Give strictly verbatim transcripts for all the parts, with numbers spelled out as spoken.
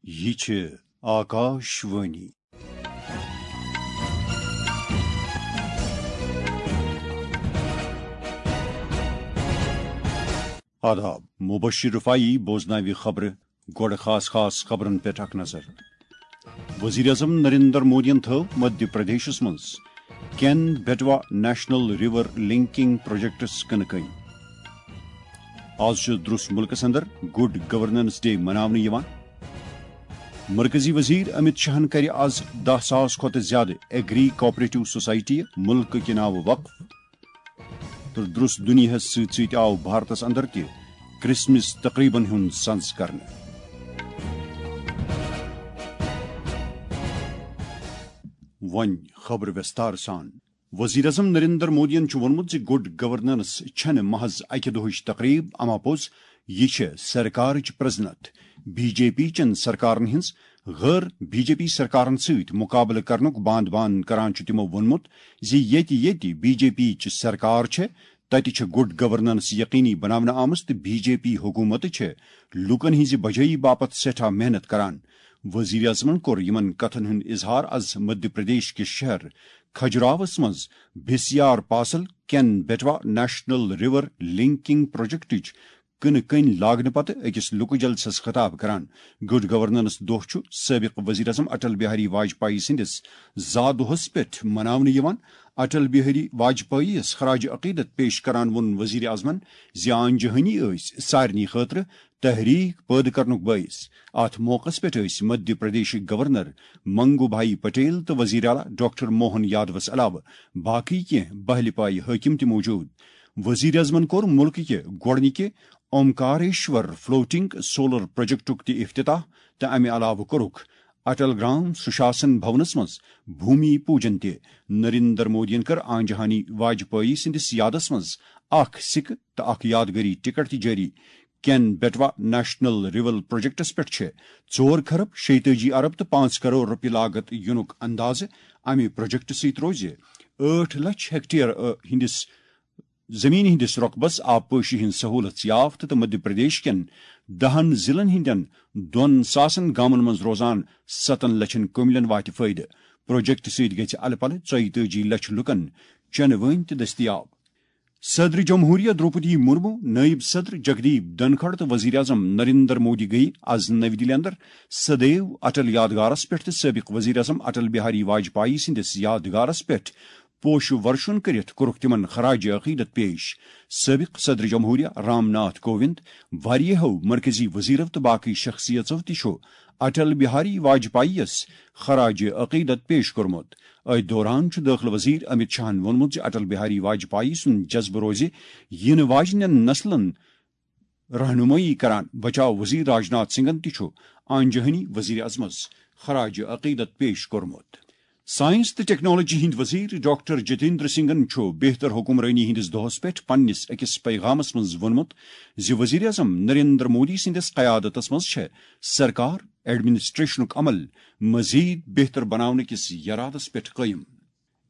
یہِ چھِ آکاش وانی۔ آداب، مبشر رفاعی بوزناوِ خبرٕ۔ گۄڈٕ خاص خاص خبرن پٮ۪ٹھ اکھ نظر۔ وزیر اعظم نریندر مودیَن تھٲو مدھیہ پردیشس منٛز Ken Betwa national river linking پروجیکٹس کٕنہٕ کٔنۍ۔ آز چھُ درُس مُلکس اندر گڈ گورننس ڈے مناونہٕ یِوان۔ مرکزی وزیر امت شاہن کرِ آز دَہ ساس کھۄتہٕ زیادٕ ایگری کوآپریٹو سوسائٹی مُلکہٕ کہِ ناوٕ وقف۔ تہٕ درُس دُنیاہس سۭتۍ سۭتۍ آو بھارتس اندر تہِ کرسمس تقریبن ہُنٛد سنز کرنہٕ۔ وۄنۍ خبرٕ وٮ۪ستار سان۔ وزیر اعظم نریندر مودیَن چھُ ووٚنمُت زِ گڈ گورننس چھَنہٕ محض اکہِ دۄہٕچ تقریب، اما پوٚز یہِ چھےٚ سرکارٕچ پرزنت۔ بی جے پی چٮ۪ن سرکارن ہٕنٛز غٲر بی جے پی سرکارن سۭتۍ مقابلہٕ کرنُک باند باند کران چھُ تِمو ووٚنمُت زِ ییٚتہِ ییٚتہِ بی جے پی چہِ سرکار چھےٚ، تتہِ چھِ گڈ گورننس یقینی بناونہٕ آمٕژ تہٕ بی جے پی حکومت چھےٚ لوٗکن ہٕنٛزِ بجٲیی باپتھ سٮ۪ٹھاہ محنت کران۔ وزیر اعظمن کوٚر یِمن کتھن ہُنٛد اظہار از مدھیہ پردیش کِس شہر کھجراوس منٛز بی سی آر پاسل کین بیٹوا نیشنل ریور لنکنگ پروجیکٹٕچ کٕنہٕ کٔنۍ لاگنہٕ پتہٕ أکِس لُکہٕ جلسس خطاب کران۔ گڈ گورننس دۄہ چھُ سٲبق وزیر اعظم اٹل بہاری واجپایی سٕنٛدِس زا دۄہس پٮ۪ٹھ مناونہٕ یِوان۔ اٹل بہاری واجپایی یَس خراج عقیدت پیش کران ووٚن وزیر اعظمن زِ آن جہانی ٲسۍ سارنٕے خٲطرٕ تحریک پٲدٕ کرنُک بٲعث۔ اتھ موقعس پٮ۪ٹھ ٲسۍ مدھیہ پردیشٕکۍ گورنر منگو بھائی پٹیل تہٕ وزیر اعلیٰ ڈاکٹر موہن یادوس علاوٕ باقٕے کینٛہہ بہلہِ پایہِ حٲکِم تہِ موجود۔ وزیر اعظمن کوٚر مُلکہٕ کہِ گۄڈٕنِکہِ اومکاریشور فلوٹنگ سولر پروجیکٹُک تہِ افتتاح تہٕ امہِ علاوٕ کوٚرُکھ اٹل گرام سُشاسن بھونس منٛز بھومی پوجن تہِ۔ نریندر مودیَن کٔر آن جہانی واجپایی سٕنٛدِس یادس منٛز اکھ سِکہٕ تہٕ اکھ یادگٲری ٹکٹ تہِ جٲری۔ کین بیٹوا نیشنل ریور پروجیکٹس پٮ۪ٹھ چھِ ژور کھرب شیٚتٲجی ارب تہٕ پانٛژھ کرور رۄپیہِ لاگت یِنُک اندازٕ۔ امہِ پروجیکٹہٕ سۭتۍ روزِ ٲٹھ لچھ ہیکٹیئر، ٲ، ہٕنٛدِس زمین ہٕنٛدِس رۄقبس آبپٲشی ہٕنٛز سہولت یافت تہٕ مدھیہ پردیش کٮ۪ن دَہن ضلعن ہٕنٛدٮ۪ن دۄن ساسن گامن منٛز روزان ستن لچھن کُملٮ۪ن واتہِ فٲیدٕ۔ پروجیکٹ سۭتۍ گژھِ الہٕ پلہٕ ژۄیتٲجی لچھ لوٗکن چنہٕ وٲنۍ تہِ دٔستیاب۔ صدر جمہوریہ دروپدی مرمو، نائب صدر جگدیپ دھنکھڑ تہٕ وزیر اعظم نریندر مودی گٔیہِ از نَوِ دِلہِ اندر سدیو اٹل یادگارس پٮ۪ٹھ تہٕ سٲبق وزیر اعظم اٹل بہاری واجپایی سٕنٛدِس یادگارس پٮ۪ٹھ پوشہٕ ورشن کٔرِتھ کوٚرُکھ تِمن خراج عقیدت پیش۔ سٲبق صدر جمہوریہ رام ناتھ کووند، واریاہو مرکزی وزیرو تہٕ باقٕے شخصیژو تہِ چھُ اٹل بہاری واجپایی یَس خراج عقیدت پیش کوٚرمُت۔ أتھۍ دوران چھُ دٲخلہٕ وزیر امت شاہن ووٚنمُت زِ اٹل بہاری واجپایی سُنٛد جذبہٕ روزِ یِنہٕ واجنٮ۪ن نسلن رہنمٲیی کران۔ بچاو وزیر راجناتھ سنگھن تہِ چھُ آن جہانی وزیر اعظمس خراج عقیدت پیش کوٚرمُت۔ سائنس تہٕ ٹیکنالوجی ہٕنٛدۍ وزیر ڈاکٹر جتیندر سنگھن چھُ بہتر حکمرٲنی ہٕنٛدِس دۄہس پٮ۪ٹھ پننِس أکِس پیغامس منٛز ووٚنمُت زِ وزیر اعظم نریندر مودی سٕنٛدِس قیادتس منٛز چھےٚ سرکار ایڈمنسٹریشنُک عمل مزید بہتر بناونہٕ کِس یرادس پٮ۪ٹھ قٲیِم۔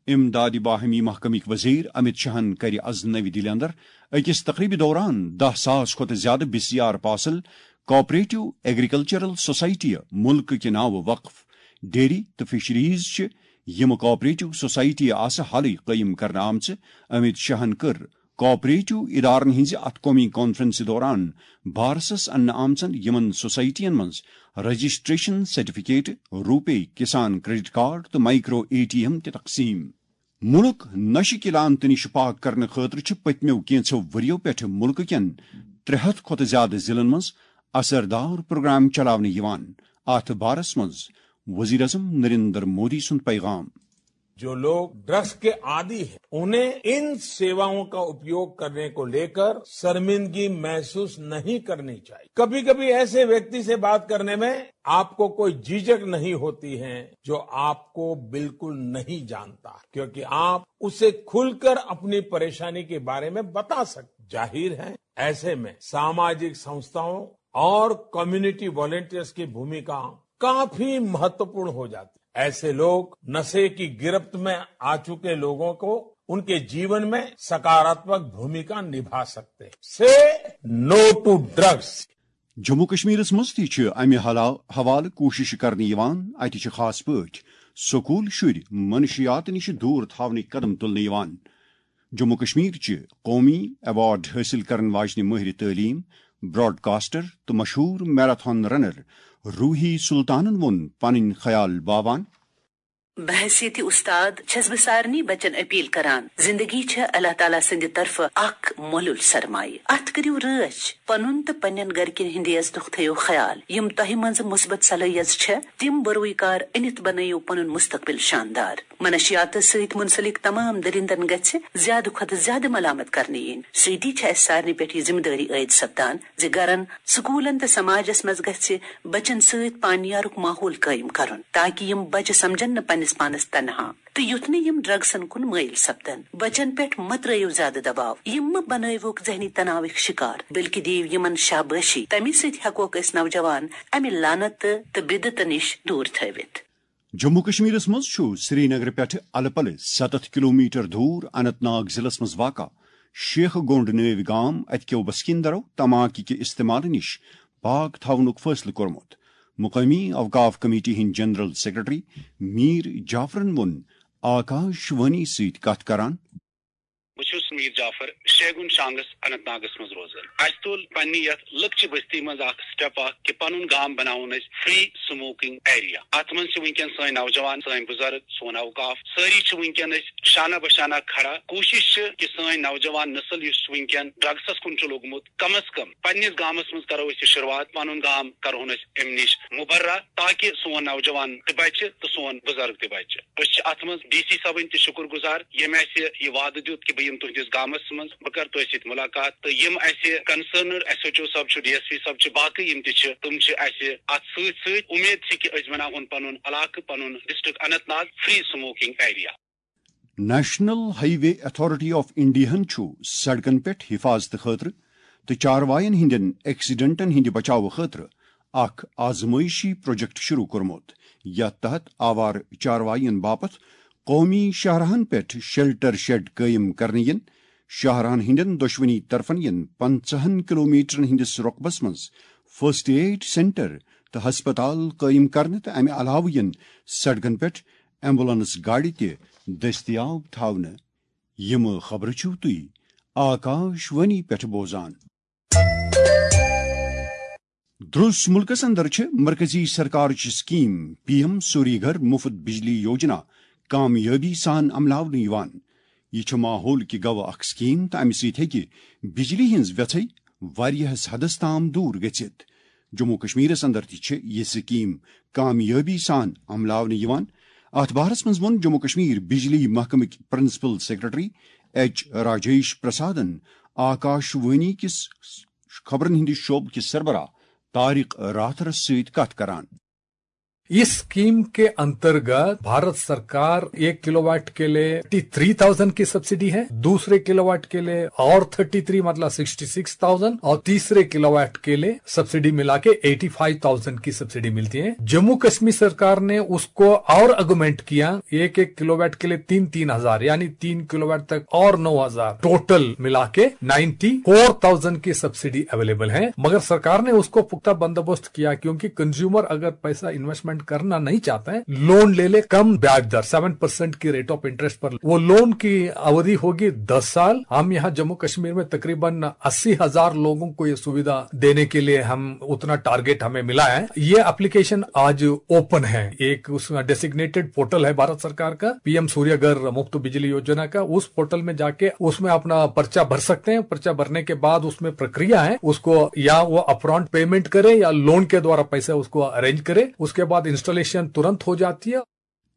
امدادِ باہمی محکمٕکۍ وزیر امت شاہن کرِ از نَوِ دِلہِ اندر أکِس تقریبہِ دوران دَہ ساس کھۄتہٕ زیادٕ بی سی آر پاسل کوآپریٹو ایگریکلچرل سوسائٹی مُلکہٕ کہِ ناوٕ وقف۔ ڈیری تہٕ فشریز چھِ یِم کوآپریٹو سوسائٹی آسہٕ حالٕے قٲیِم کرنہٕ آمژٕ۔ امت شاہن کٔر کوآپریٹو ادارن ہٕنٛزِ اتھ قومی کانفرنسہِ دوران بارسس اننہٕ آمژن یِمن سوسائٹین منٛز رجسٹریشن سرٹیفکیٹ، روپے کسان کریڈٹ کارڈ تہٕ مائیکرو اے ٹی ایم تہِ تقسیم۔ مُلک نشہٕ کہِ لعنتہٕ نِش پاک کرنہٕ خٲطرٕ چھِ پٔتمیو کینٛژھو ؤرِیو پٮ۪ٹھٕ مُلکہٕ کٮ۪ن ترٛےٚ ہتھ کھۄتہٕ زیادٕ ضلعن منٛز اثردار پروگرام چلاونہٕ یِوان۔ اتھ بارس منٛز وزیر اعظم نریندر مودی سُنٛد پیغام۔ جو لوگ ڈرگس کے عادی ہیں، انہیں ان سیواؤں کا اپیوگ کرنے کو لیکر شرمندگی محسوس نہیں کرنی چاہیے۔ کبھی کبھی ایسے ویکتی سے بات کرنے میں آپ کو کوئی جھجک نہیں ہوتی ہے، جو آپ کو بالکل نہیں جانتا، کیونکہ آپ اسے کھل کر اپنی پریشانی کے بارے میں بتا سکتے۔ ظاہر ہے، ایسے میں ساماجک سنستھاؤں اور کمیونٹی والنٹیئرز کی بھومکا کافی مہتوپورن ہو جاتی ہے۔ ایسے لوگ نشے کی گرفت میں آ چکے لوگوں کو ان کے جیون میں سکاراتمک بھومکا نبھا سکتے ہیں۔ سے نو ٹو ڈرگس۔ جموں کشمیرس منٛز تہِ چھِ امہِ حلا-، حوالہٕ کوٗششہٕ کرنہٕ یِوان۔ اتہِ چھِ خاص پٲٹھۍ سکوٗل شُرۍ منشیات نِش دوٗر تھاونٕکۍ قدم تُلنہٕ یِوان۔ جموں کشمیر چہِ قومی ایوارڈ حٲصِل کرن واجنہِ مٲہرِ تعلیٖم، براڈکاسٹر تہٕ مشہوٗر میراتھن رنر روحی سلطانن ووٚن پنٕنۍ خیال باوان۔ بحیثیت استاد چھس بہٕ سارنٕے بچن اپیل کران، زندگی چھےٚ اللہ تعالیٰ سٕنٛدِ طرفہٕ اکھ مۄلُل سرمایہِ۔ اتھ کٔرِو رٲچھ، پنُن تہٕ پننٮ۪ن گرِکٮ۪ن ہٕنٛدِ عزتُک تھٲیِو خیال۔ یِم تۄہہِ منٛز مثبت صلٲحیژ چھےٚ، تِم بروی کار أنِتھ بنٲیِو پنُن مستقبل شاندار۔ منشیاتس سۭتۍ منسلک تمام درندن گژھِ زیادٕ کھۄتہٕ زیادٕ ملامت کرنہٕ یِنۍ۔ سۭتی چھِ اسہِ سارنٕے پٮ۪ٹھ یہِ ذمہٕ دٲری عٲید سپدان زِ گرن، سکوٗلن تہٕ سماجس منٛز گژھِ بچن سۭتۍ پانیارُک ماحول قٲیِم کرُن، تاکہ یِم بچہِ سمجھن نہٕ پننِس پانس تنہا تہٕ یُتھ نہٕ یِم ڈرگسن کُن مٲیِل سپدن۔ بچن پٮ۪ٹھ مہ ترٲیِو زیادٕ دباو، یِم مہ بنٲیوُکھ ذہنی تناوٕکۍ شکار، بلکہ دِیِو یِمن شابٲشی۔ تمی سۭتۍ ہٮ۪کوکھ أسۍ نوجوان امہِ لعنت تہٕ، تہٕ بدعتہٕ نِش دوٗر تھٲوِتھ۔ جموں کشمیرس منٛز چھُ سرینگرٕ پٮ۪ٹھٕ الہٕ پلہٕ ستتھ کلومیٹر دوٗر اننت ناگ ضلعس منٛز واقع شیخ گونڈ نٲوۍ گام۔ اتہِ کٮ۪و بسکیندرو تماکہِ کہِ استعمال نِش پاک تھاونُک فٲصلہٕ کوٚرمُت۔ مقٲمی اوقاف کمیٹی ہٕنٛدۍ جنرل سیکرٹری میٖر جعفرن ووٚن آکاش وانی سۭتۍ کتھ کران۔ بہٕ چھُس میٖر جعفر، شیگُن شانگس اننت ناگس منٛز روزان۔ اسہِ تُل پننہِ یتھ لۄکچہِ بستی منٛز اکھ سٹیپ اکھ کہِ پنُن گام بناوون أسۍ فری سموکنگ ایریا۔ اتھ منٛز چھِ وٕنکیٚن سٲنۍ نوجوان، سٲنۍ بزرگ، سون اوقاف، سٲری چھِ وٕنکیٚن أسۍ شانہ بہ شانہ کھڑا۔ کوٗشش چھِ کہِ سٲنۍ نوجوان نسل یُس چھُ وٕنکیٚن ڈرگسس کُن چھُ لوٚگمُت، کم از کم پننِس گامس منٛز کرو أسۍ یہِ شروعات، پنُن گام کرہون أسۍ امہِ نِش مبرہ، تاکہ سون نوجوان تہِ بچہِ تہٕ سون بزرگ تہِ بچہِ۔ أسۍ چھِ اتھ منٛز ڈی سی صٲبٕنۍ تہِ شُکر گُزار، ییٚمۍ اسہِ یہِ وعدٕ دیُت کہِ بہٕ یِمہٕ تُہنٛدِس گامس منٛز، بہٕ کرٕ تۄہہِ سۭتۍ مُلاقات۔ تہٕ یِم اسہِ کنسرنڈ ایس ایچ او صٲب چھُ، ڈی ایس پی صٲب چھِ، باقٕے یِم تہِ چھِ، تِم چھِ اسہِ اتھ سۭتۍ سۭتۍ۔ اُمید چھِ کہِ أسۍ بناوہون پنُن علاقہٕ، پنُن district Anant Nag free smoking area. National highway authority of انڈیاہن چھُ سڑکن پٮ۪ٹھ حفاظتہٕ خٲطرٕ تہٕ چاروایَن ہٕنٛدٮ۪ن ایکسیڈنٹن ہٕنٛدِ بچاوٕ خٲطرٕ اکھ آزمٲیشی پروجیکٹ شروع کوٚرمُت، یتھ تحت آوارٕ چاروایَن باپتھ قومی شاہراہن پٮ۪ٹھ شیلٹر شیڈ قٲیِم کرنہٕ یِن۔ شاہراہن ہٕنٛدٮ۪ن دۄشوٕنی طرفن یِن پنٛژاہن کلومیٹرن ہٕنٛدِس رۄقبس منٛز فرسٹ ایڈ سینٹر تہٕ ہسپتال قٲیِم کرنہٕ، تہٕ امہِ علاوٕ یِن سڑکن پٮ۪ٹھ ایمبولینس گاڑِ تہِ دٔستیاب تھاونہٕ۔ یِم خبرٕ چھِو تُہۍ آکاش وانی پٮ۪ٹھ بوزان۔ درٛس مُلکس اندر چھِ مرکزی سرکارٕچ سکیٖم پی ایم سوری گھر مفت بجلی یوجنا کامیٲبی سان عملاونہٕ یِوان۔ یہِ چھِ ماحول کہِ گوٚو اکھ سکیٖم تہٕ امہِ سۭتۍ ہیٚکہِ بجلی ہٕنٛز ویژھے واریاہس حدس تام دوٗر گٔژھِتھ۔ جموں کشمیرس اندر تہِ چھِ یہِ سکیٖم کامیٲبی سان عملاونہٕ یِوان۔ اتھ بارس منٛز ووٚن جموں کشمیر بجلی محکمٕکۍ پرنسپل سیکرٹری ایچ راجیش پرسادن آکاش وانی کِس خبرن ہٕنٛدِ شعبہٕ کِس سربراہ طارق راتھرس سۭتۍ کتھ کران۔ इस स्कीम के अंतर्गत भारत सरकार एक किलोवाट के लिए थर्टी थ्री थाउजेंड की सब्सिडी है, दूसरे किलोवाट के लिए और थर्टी थ्री, मतलब सिक्सटी सिक्स थाउजेंड, और तीसरे किलोवाट के लिए सब्सिडी मिला के एटी फाइव थाउजेंड की सब्सिडी मिलती है। जम्मू कश्मीर सरकार ने उसको और अगुमेंट किया, एक एक किलोवाट के लिए तीन तीन हजार, यानी तीन किलोवाट तक और नौ हजार, टोटल मिला के नाइन्टी फोर थाउजेंड की सब्सिडी अवेलेबल है। मगर सरकार ने उसको पुख्ता बंदोबस्त किया, क्योंकि कंज्यूमर अगर पैसा इन्वेस्टमेंट करना नहीं चाहता है, लोन ले ले कम ब्याज दर, सेवन परसेंट की रेट ऑफ इंटरेस्ट पर, वो लोन की अवधि होगी दस साल। हम यहाँ जम्मू कश्मीर में तकरीबन अस्सी हजार लोगों को ये सुविधा देने के लिए हम उतना टारगेट हमें मिला है। ये एप्लीकेशन आज ओपन है, एक उसमें डेसिग्नेटेड पोर्टल है भारत सरकार का, पीएम सूर्यघर मुफ्त बिजली योजना का। उस पोर्टल में जाके उसमें अपना पर्चा भर सकते हैं। पर्चा भरने के बाद उसमें प्रक्रिया है, उसको या वो अपफ्रंट पेमेंट करे या लोन के द्वारा पैसे उसको अरेंज करे, उसके बाद इंस्टॉलेशन तुरंत हो जाती है।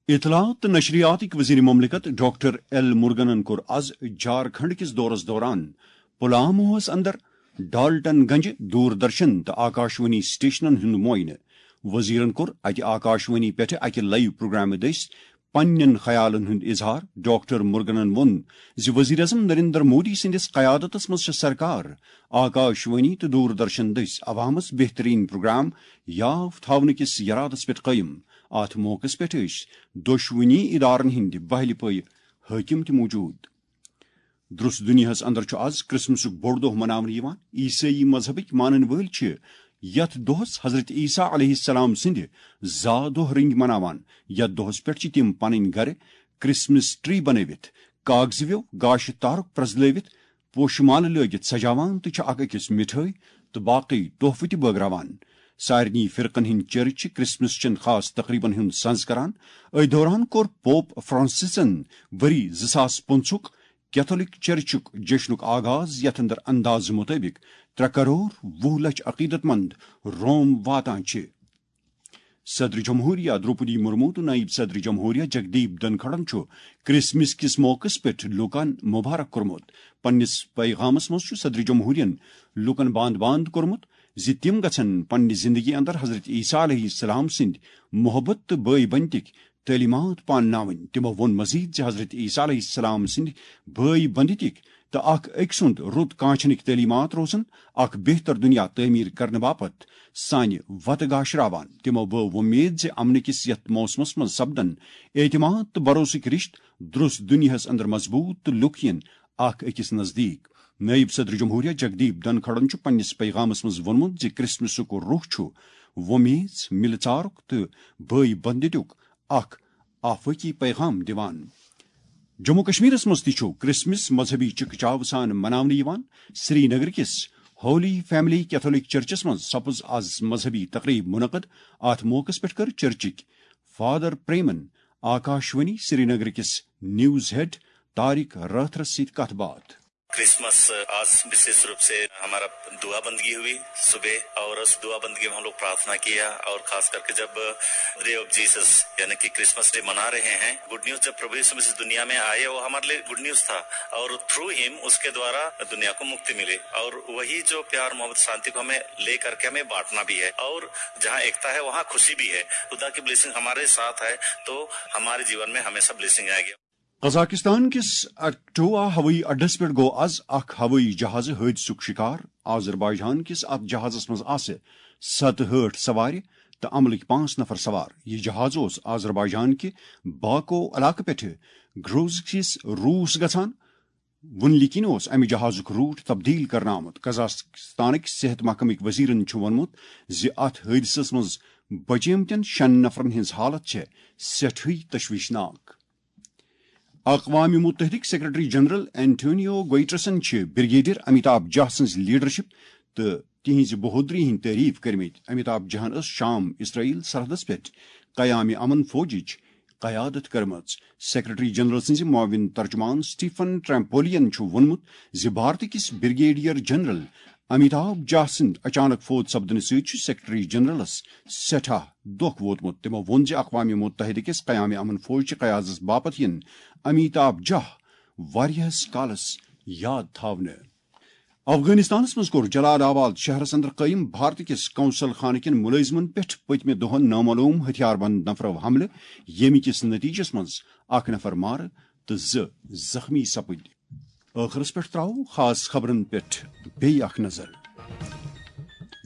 اطلاعات تہٕ نشریاتٕکۍ وزیر مملکت ڈاکٹر ایل مرگنن کوٚر از جھارکھنڈ کِس دورس دوران پلاموہس اندر ڈالٹن گنج دوردرشن تہٕ آکاشوانی سٹیشنن ہُنٛد معائنہٕ۔ وزیرن کوٚر اتہِ آکاشوانی پٮ۪ٹھ اکہِ لائیو پروگرامہٕ دٔسۍ پننٮ۪ن خیالن ہُنٛد اظہار۔ ڈاکٹر مرگنن ووٚن زِ وزیر اعظم نریندر مودی سٕنٛدِس قیادتس منٛز چھےٚ سرکار آکاشوانی تہٕ دوردرشن دٔسۍ عوامس بہترین پروگرام یاف تھاونہٕ کِس یرادس پٮ۪ٹھ قٲیِم۔ اتھ موقعس پٮ۪ٹھ ٲسۍ دۄشوٕنی ادارن ہٕنٛدۍ بہلہِ پٲے حٲکم تہِ موجود۔ درس دنیاہس اندر چھُ از کرسمسُک بوٚڑ دۄہ مناونہٕ یِوان۔ عیسٲئی مذہبٕکۍ مانن وٲلۍ چھِ یتھ دۄہس حضرت عیسیٰ علیہ السلام سٕنٛدِ زا دۄہ رٔنگۍ مناوان۔ یتھ دۄہس پٮ۪ٹھ چھِ تِم پنٕنۍ گرٕ کرسمس ٹری بنٲوِتھ، کاغذ ویو، گاشہِ تارُک پرٛزلٲوِتھ، پوشہٕ مالہٕ لٲگِتھ سجاوان تہٕ چھِ اکھ أکِس مِٹھٲے تہٕ باقٕے تحفہٕ تہِ بٲگراوان۔ سارنٕے فرقن ہٕنٛدۍ چرچ چھِ کرسمس چٮ۪ن خاص تقریبن ہُنٛد سنز کران۔ أتھۍ دوران کوٚر پوپ فرانسسن ؤری زٕ ساس پٕنٛژٕہُک کیتھولک چرچُک جشنُک آغاز، یتھ اندر اندازٕ مطٲبق ترٛےٚ کرور وُہ لچھ عقیدت مند روم واتان چھِ۔ صدر جمہوریہ دروپدی مرمو تہٕ نائب صدر جمہوریہ جگدیپ دھنکھڑن چھُ کرسمس کِس موقعس پٮ۪ٹھ لوٗکن مبارک کوٚرمُت۔ پننِس پیغامس منٛز چھُ صدر جمہوریہن لوٗکن باند باند کوٚرمُت زِ تِم گژھن پننہِ زندگی اندر حضرت عیسیٰ علیہ السلام سٕنٛدۍ محبت تہٕ بٲے بنتٕکۍ تعلیمات پانناوٕنۍ۔ تِمو ووٚن مزید زِ حضرت عیسیٰ علیہ السلام سٕنٛدۍ بٲے بنتٕکۍ تہٕ اکھ أکۍ سُنٛد رُت کانچھنٕکۍ تعلیمات روزن اکھ بہتر دنیا تعمیر کرنہٕ باپتھ سانہِ وتہٕ گاشراوان۔ تِمو بٲو وۄمید زِ امنہٕ کِس یتھ موسمس منٛز سپدن اعتماد تہٕ بھروسٕکۍ رشتہٕ درست دنیاہس اندر مضبوط تہٕ لُکھ یِن اکھ أکِس نزدیٖک۔ نائب صدر جمہوریہ جگدیپ دھنکھڑن چھُ پننِس پیغامس منٛز ووٚنمُت زِ کرسمسُک روح چھُ وۄمیز، مِلہٕ ژارُک تہٕ بٲے بندتُک اکھ آفٲقی پیغام دِوان۔ جموں کشمیرس منٛز تہِ چھُ کرسمس مذہبی چکچاو سان مناونہٕ یِوان۔ سری نگر کِس ہولی فیملی کیتھولک چرچس منٛز سپٕز از مذہبی تقریب منعقد۔ اتھ موقعس پٮ۪ٹھ کٔر چرچٕکۍ فادر پریمن آکاشوانی سری نگر کِس نیوز ہیڈ طارق رٲتھرس سۭتۍ کتھ باتھ۔ کرسمس، آج وشیش روپ سے ہمارا دعا بندگی ہوئی صبح، اور اس دعا بندگی میں ہم لوگ پرارتھنا کیا، اور خاص کر کے جب ڈے آف جیسس یعنی کہ کرسمس ڈے منا رہے ہیں، گڈ نیوز، جب پربھو یسوع مسیح دنیا میں آئے، وہ ہمارے لیے گڈ نیوز تھا، اور تھرو ہم اس کے دوارا دنیا کو مکتی ملی، اور وہی جو پیار، محبت، شانتی کو ہمیں لے کر کے ہمیں بانٹنا بھی ہے، اور جہاں ایکتا ہے وہاں خوشی بھی ہے۔ خدا کی بلیسنگ ہمارے ساتھ ہے تو ہمارے جیون میں ہمیشہ بلیسنگ آئے گی۔ قزاقستان کِس اکٹووا ہوٲیی اڈس پٮ۪ٹھ گوٚو از اکھ ہوٲیی جہازٕ حٲدثُک شِکار۔ آذربائیجان کِس اتھ جہازس منٛز آسہٕ ستہٕ ہٲٹھ سوارِ تہٕ عملٕکۍ پانٛژھ نفر سوار۔ یہِ جہاز اوس آذربائیجان کہِ باکو علاقہٕ پٮ۪ٹھٕ گروز کِس روٗس گژھان۔ وُنہِ کِنۍ اوس امہِ جہازُک روٹ تبدیل کرنہٕ آمُت۔ قزاقستانٕکۍ صحت محکمٕکۍ وزیرن چھُ ووٚنمُت زِ اتھ حٲدثس منٛز بچیمتٮ۪ن شٮ۪ن نفرن ہٕنٛز حالت چھےٚ سٮ۪ٹھٕے تشویشناک۔ اقوام متحدٕکۍ سیکرٹری جنرل اینٹونیو گوئٹرسن چھِ بریگیڈیئر امیتابھ جاہ سٕنٛز لیڈرشپ تہٕ تِہنٛزِ بہودری ہٕنٛدۍ تعریف کٔرمٕتۍ۔ امیتابھ جاہن ٲس شام اسرائیل سرحدس پٮ۪ٹھ قیام امن فوجٕچ قیادت کٔرمٕژ۔ سیکرٹری جنرل سٕنٛزِ معاون ترجمان سٹیفن ٹرمپولین چھُ ووٚنمُت زِ بھارت کِس بریگیڈیئر جنرل امیتابھ جاہ سٕنٛدِ اچانک فوت سپدنہٕ سۭتۍ چھُ سیکرٹری جنرلس سٮ۪ٹھاہ دۄکھ ووتمُت۔ تِمو ووٚن زِ اقوام متحدہ کِس قیام امن فوج چہِ قیادتس باپتھ یِن امیتابھ جاہ واریاہس کالس یاد تھاونہٕ۔ افغانستانس منٛز کوٚر جلال آباد شہرس اندر قٲیِم بھارت کِس قونصل خانہٕ کٮ۪ن مُلٲزمن پٮ۪ٹھ پٔتمہِ دۄہن نامعلوم ہتھیار بند نفرو حملہٕ، ییٚمہِ کِس نتیجس منٛز اکھ نفر مارٕ تہٕ زٕ زخمی سپٕدۍ۔ ٲخرس پٮ۪ٹھ تراوو خاص خبرن پٮ۪ٹھ بیٚیہِ اکھ نظر۔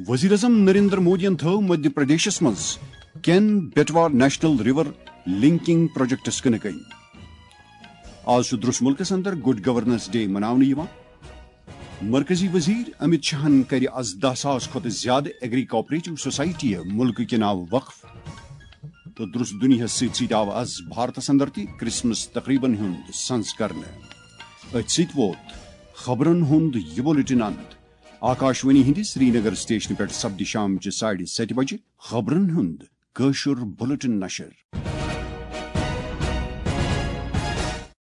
وزیر اعظم نریندر مودیَن تھٲو مدھیہ پردیشس منٛز Ken Betwa national river linking پروجیکٹس کٕنہٕ کٔنۍ۔ آز چھُ درس ملکس اندر گڈ گورننس ڈے مناونہٕ یِوان۔ مرکزی وزیر امت شاہن کرِ از دہ ساس کھۄتہٕ زیادٕ ایگری کوآپریٹو سوسائٹی ملکہٕ کہِ ناوٕ وقف۔ تہٕ درس دنیاہس سۭتۍ سۭتۍ آو از بھارتس اندر تہِ کرسمس تقریبن ہُنٛد سنز کرنہٕ۔ أتھۍ سۭتۍ ووت خبرن ہُنٛد یہِ بُلٹن اند۔ آکاشوانی ہٕنٛدِ سرینگر سٹیشنہٕ پٮ۪ٹھ سپدِ شامچہِ ساڑِ ستہِ بجہِ خبرن ہُنٛد کٲشُر بُلٹن نشر۔